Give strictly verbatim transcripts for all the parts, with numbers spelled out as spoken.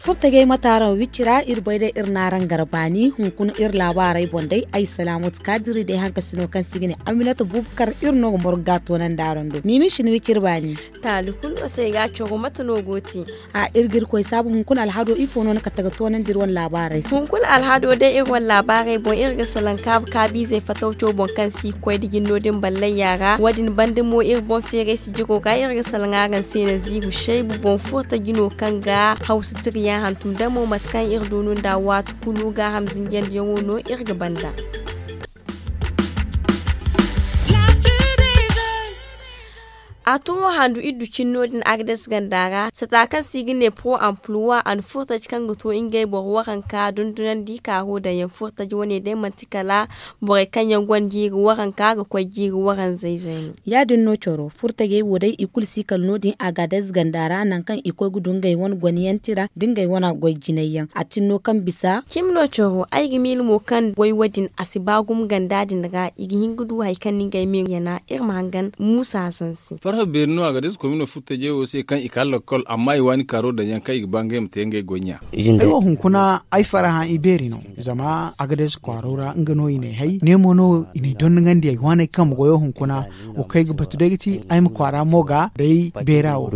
Furtajey mate araŋ wicci ra iri bay day iri n'araŋ gar baani hunkuna iri laabaarey boŋ day ay salaamatu kaadiri day hankasino kaŋ se i ga ne aminata bubakar iri no ga morgu ga toonandi araŋ do miimi si ni wicci iri baani. Taali kulu no se ay ga a coro mate no go te? A iri ga iri koy saabu hunkuna alhado ifo no ni kate ga toonandi iri wane laabaarey se? Hunkuna alhado day iri wane laabaarey boŋ iri ga salaŋ kaabu kaabiizey fatawco boŋ kaŋ si ga koy da jinno din ballayya ra wo- din banda mo iri boŋ feeray sijiro ga iri ga salaŋ araŋ se nanziiru saybu boŋ furta jino kaŋ ga hawsa tiriyaŋ hantum damo mate kaŋ iri du no nda waati kulu gaaham zinjandiyaŋo no iri ga banda. A to wo handu iddu cinno din agades ganda ra sata kaŋ se i ga ne pro emploi a na furtaji kaŋ ga to ngey boro waranka dundunandi kaaro daŋ yaŋ furtaji wane day manti kala borey kaŋ yaŋ gonda jiiri waranka ga koy jiiri waranzayzey no. Ya- din no coro furtajey wo day i kulu si kala no- din agades ganda ra nangu kaŋ i koy ga du ngey wane goniyaŋ tira da ngey wane goy jinay yaŋ a tin no kaŋ bisa. Cimi no coro ay ga miila mo kaŋ goy wo- din a si ba gumo ganda din ra i ga hin ga du hari kaŋ no ngey me yana iri ma hangan muusa hasan se. Farha beeri no a ga deesa komino furtajey wo se kaŋ i ka lakkol amma i waani kaaro daŋ yaŋ kaŋ i ga ba ngey ma te ngey goy ɲa. Ay wo hunkuna ay farhã ibeeri no zama a ga deesa kwaaro ra nga no i n'ay hay ne mo no i n'ay dondoŋandi ay waaney kambe goyo hunkuna wo kaŋ ay ga batu day ga ti ay ma kwaara mo ga day beera wo.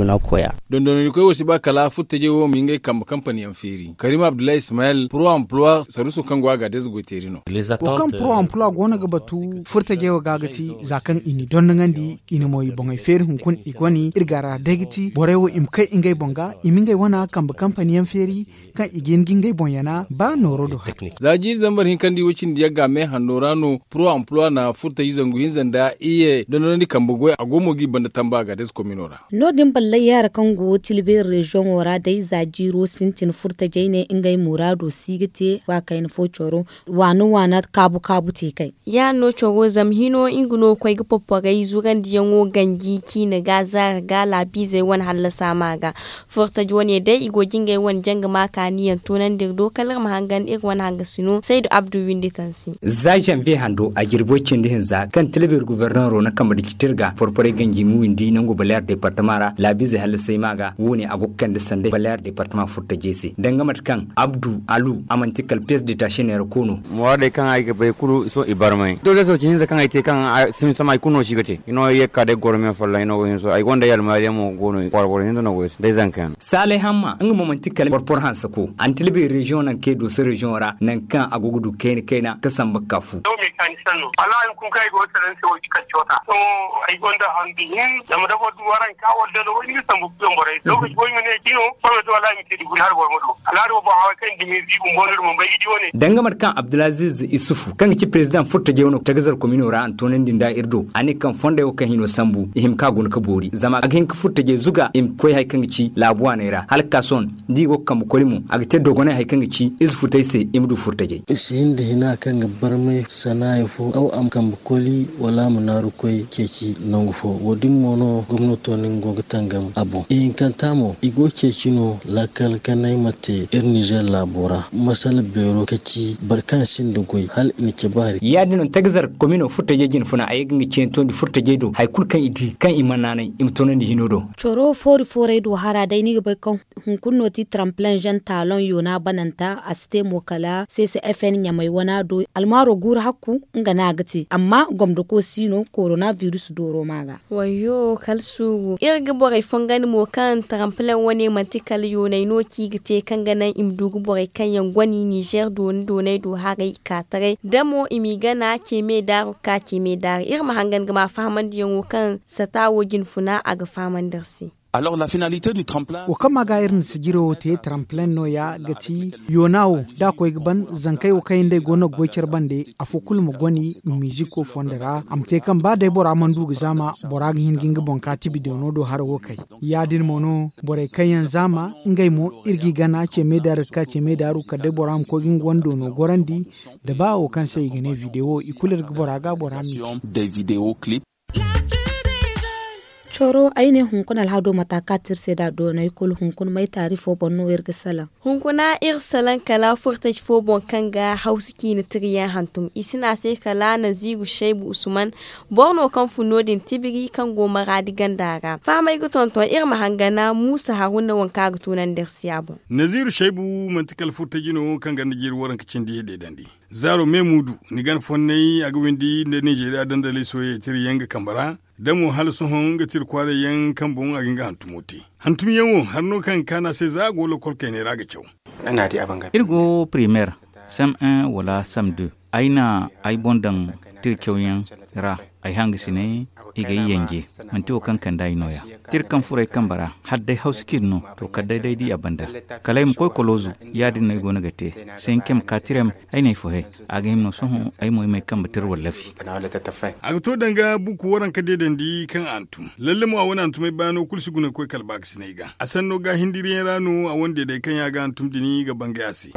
Dondonandikoy wo si ba kala furtajey wo ma ngey kambe kampani yaŋ feeri karim abdullahi ismael pro emploi saruuso kaŋ go a ga deesa goy teeri no. Wo kaŋ pro emploi go no ga batu furtajey wo ga ga ti za kaŋ i n'i dondoŋandi i na mo i boŋey feeri hunkuna i goni iri ga ra day ga ti borey wo i ma kay ngey boŋ ga i ma ngey wana kambe kampani yaŋ feeri kaŋ i ga hin ga ngey boŋ yana ba nooro do hari. Za jiiri zambar hinka nda i way cindi yagga me hanno ra no pro emploi na furtaji zangu hinza nda iyye dondonandi kambe goy a go mo g'i banda tamba a ga deesa komino ra. No- din ballay yaara kaŋ go tilbeeri reziyoŋo ra day za jiiro sintin furtajey ne ngey muraado si ga te ba kayna fo coro waana waana kaabu kaabu te kay. Ya- din no coro zama hino nga no ga koy ga porporey zurandiyaŋo ganji ciina ga zaara ga laabiizey wane hallasa ma ga furtaji wane day i go ga ngey wane janga ma kaaniyaŋ toonandi iri do kala iri ma hangan iri wane hangasino saydu abdu windi tansi. Za zanviye hando a jirbo cindi hinza kaŋ tilbir gubernero na kambe da citirga porporey ganji ma windi nangu baleer departama ra laabiizey hallasay ma ga wo- ne a go ga kande sanday baleer departama furtajey se danga mate kaŋ abdu alu a manti kala piyes de taasi neera ko no. Mooradey kaŋ ay ga bay kulu sohõ i barmay doole sohõ ci hinza kaŋ ay te kaŋ sintin samay kulu no si ga te i no ye ga ka day goro me folloŋ i no go hinza sohõ ay gonda yalma yaŋ mo go no kwaara boro hinza no go day zanka yaŋ. Saalay hamma nga mo manti kala porpor hanse ko a na tilbay reziyoŋ nangu kaŋ i dooso reziyoŋo ra nangu kaŋ a go ga du kayna kayna ga samba ga ka fu. Sohõ mekanisiyaŋ no wallaahi hunkuna kaŋ ay go ga salaŋ ni se wo ga ci kala coota sohõ ay gonda handu hin zama da boro du waranka wala dalo wo ni ga sambu ga tuyaŋ borey se lookaci fo i ma ne cino sohõ to wallaahi i ma te dugu ni hala boro ma du alhaali wo boŋ haway kaŋ i na dumi ziibu bumbo no iri mana bay ga di wane. Danga mate kaŋ abdulaziz isufu kaŋ ga ci perezidaŋ furtajey wane tagazar komino ra a na toonandi nda iri do a ne kaŋ fondey wo kaŋ hino sambu i hima ka guna ga boori zama a ga hin ga furtajey zuga i ma koy hari kaŋ ga ci laabu waaney ra hala ga ka sohõ da i go ga kambe koli mo a ga te dogonay hari kaŋ ga ci ize futey se i ma du furtajey. I si hin da hina kaŋ ga barmay sanaaya fo aw a ma kambe koli wala a ma naaru koy ceeci nangu fo wo- din mo no gomnato no nga go ga tangam a boŋ ihinkanta mo i go ga ceeci no laakal kanay ma te iri nizer laabo ra masala beero ka ci boro kaŋ sinda goy hala i na cabe hari. Ya- din no tagazar komino furtajey jine funa a ye ga nga ceeni tondi furtajey do hari kulu kaŋ i di kaŋ i mana naanay i ma toonandi hino do. Coro foori foorey do hara day ni ga bay kaŋ hunkuna no ti taramplen zen taaloŋ yoona bananta a si te mo kala seese fn ɲamay wana do almaaro guuru hakku nga no a ga te amma gomdako si no korona virus dooro ma ga. Wayyo kala suuru iri ga borey fongandi mo kaŋ taramplen wane manti kala yoonay no kaŋ i ga te kaŋ ga naŋ i ma du ga borey kaŋ yaŋ goni nizer dooni doonay do haray i ka taray da mo i m'i gana ce me daaru ga ka ce me daaru iri ma hangan ga ma fahamandiyaŋo kaŋ sata wo jine funa a ga fahamandi iri se. Wo kaŋ ma ga iri na sijiro wo te taramplen no- ya ga ti yoona wo da a koy ga ban zankey wo kaŋ yaŋ day go no ga goy care bande afo kulu ma goni i ma miiziko fondo ra a ma te kaŋ ba day bora mana du ga zaama bora ga hin ga nga boŋ ka tibi doono do hara wo kay. Ya- din mo no borey kaŋ yaŋ zaama ngey mo iri g'i gana ce me daaru ga ka ce me daaru kala day bora ma koy ga nga wane doono gorandi da ba wo kaŋ se i ga ne videwo i kulu iri ga bora ga bora m'i te. Toro ay ne hunkuna alhado mata kaŋ a te iri se nd'a doonay kulu hunkuna may taari fo boŋ no iri ga salaŋ? Hunkuna iri salaŋ kala furtaji fo boŋ kaŋ ga hawsu ciine tiriyaŋ hantum i si ne a se kala naziiru shaybu usman. Boro no kaŋ fun no- din tibiri kaŋ go maraadi ganda ra fahamay ga tonton iri ma hangana muusa haruna waŋ kaŋ a ga tunandi iri se a boŋ. Naziiru shaybu manti kala furtaji no kaŋ ganda jiiri waranka cindi deedandi. Zaaro me muudu ni gana fonnay a ga windi nda ninzeeriya dandaley sohõ tirayaŋ ga kambe ra. Da mo hala sohõ nga tira kwaaray yaŋ kaŋ boŋ a ga nga hantumo te. Hantum yaŋ wo hari no kaŋ ga kaanu a se za a go lokol kaynay ra ga caw. Iri go primeer, sam un wala sam deux. Ay na ay boŋ daŋ tira cawyaŋ ra. Ay hangasinay i ga ay yanje. Manti wo kaŋ kande ay no- ya tira kaŋ furo ay kambe ra. Hala day hawsa ciine no to kala day da ay di a banda. Kala ay ma koy koloozu. Ya- din no ay go no ga te. Senkem katirem ay na ay fohe. A ga hima no sohõ ay mo ay ma ay kambe tira wallafi. A ga to danga buku waranka deedandi kaŋ a hantum lalle mo a wane hantumay baano kulu si guna ga koy kala baakasinay ga a sanno ga hindiriyaŋ ra no a wane deeday kaŋ ya ga hantum din ga bangay a se.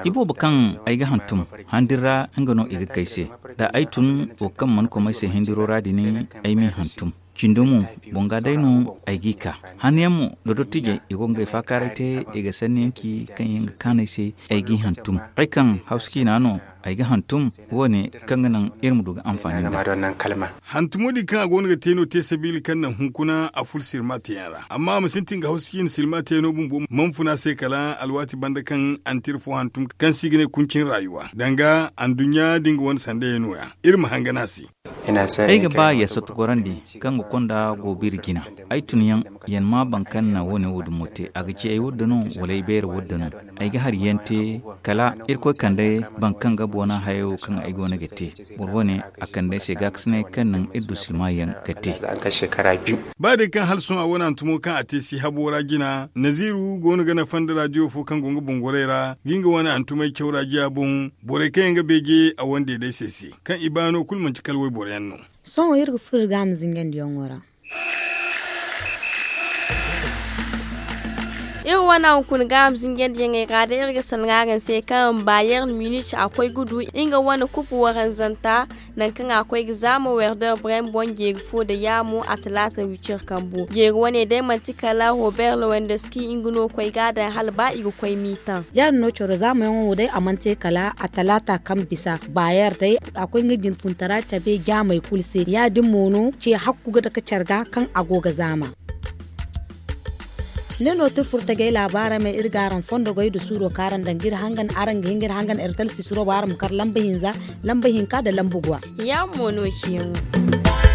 Iboobo kaŋ ay ga hantum handiri ra nga no i ga kay se. Da ay tun wo kaŋ mana kom ay se hindiro ra din ay m'i hantum. Cindo mo boŋ ga day no ay g'i ka. Hanyaŋ mo da dottijey i go ga ngey faakaaray te. I ga sanniyaŋ ci kaŋ yaŋ ga kaanu ay se. Ay g'i hantum ay kaŋ hawsa ciina no ay ga hantum. Wo- ne kaŋ ga naŋ iri ma du ga anfaani nda hantumo din kaŋ a go no ga te no te sabiila kaŋ naŋ hunkuna a ful silma teeyaŋ ra amma a ma sintin ga hawsa ciina silma teeyaŋo bumbo mana fun a se kala alwaati banda kaŋ a na tira fo hantum kaŋ se i ga ne kuncin raayuwa danga anduɲɲa da nga wane sandayey no- ya. Iri ma hangan a se. Ay ga ba ya satu gorandi kaŋ ga konda go biri jina. Ay tun yaŋ yan ma boro kaŋ na wo- ne wo- din mo te a ga ci ay wurda no wala ay beera wurda no? Ay ga hari yaŋ te kala irkoy kande boro kaŋ ga boona hayo kaŋ ay go no ga te. Boro wo- ne a kande ay se gaakasinay kaŋ naŋ iri du silma yaŋ ga te. Ba day kaŋ hala sohõ a wane hantumo kaŋ a te si habo ra jina naziiru go no ga nafa nda raadiyo fo kaŋ go nga boŋ gorey ra ga nga wane hantumey caw raadiya boŋ. Borey kaŋ yaŋ ga beeje a wane deeday se se kaŋ i baano kulu manti kala wayboro yaŋ no. Sohõ iri ga furo iri ga a ma zingandiyaŋo ra. Iri wane hunkuna ga a ma zingandiyaŋey ra day iri ga sanaŋ araŋ se kaŋ bayer munich a koy ga du nga wane kupu waranzanta. Nangu kaŋ a koy ga zaama werder brem boŋ jeeri fo nda yaamo a talaata wicir kambo jeeri wane day manti kala robert lowendoski nga no koy ga a daŋ hala ba i ga koy miitaŋ. Ya- din no coro zaamayaŋo wo day a mana te kala a talaata kaŋ bisa bayer day a koy nga jinfuntara cabe jaamey kulu se ya- din mo no ce hakku ga dake care ga kaŋ a go ga zaama. Ne no ti furtagey laabaarey ma iri ga araŋ fondogey nda suuro kaŋ araŋ daŋ ga iri hangan araŋ ga hin ga iri hangan ertel sisiro bo araŋ ma kar lamba hinza, lamba hinka nda lamba guwa. Ya- mo no ciyaŋo.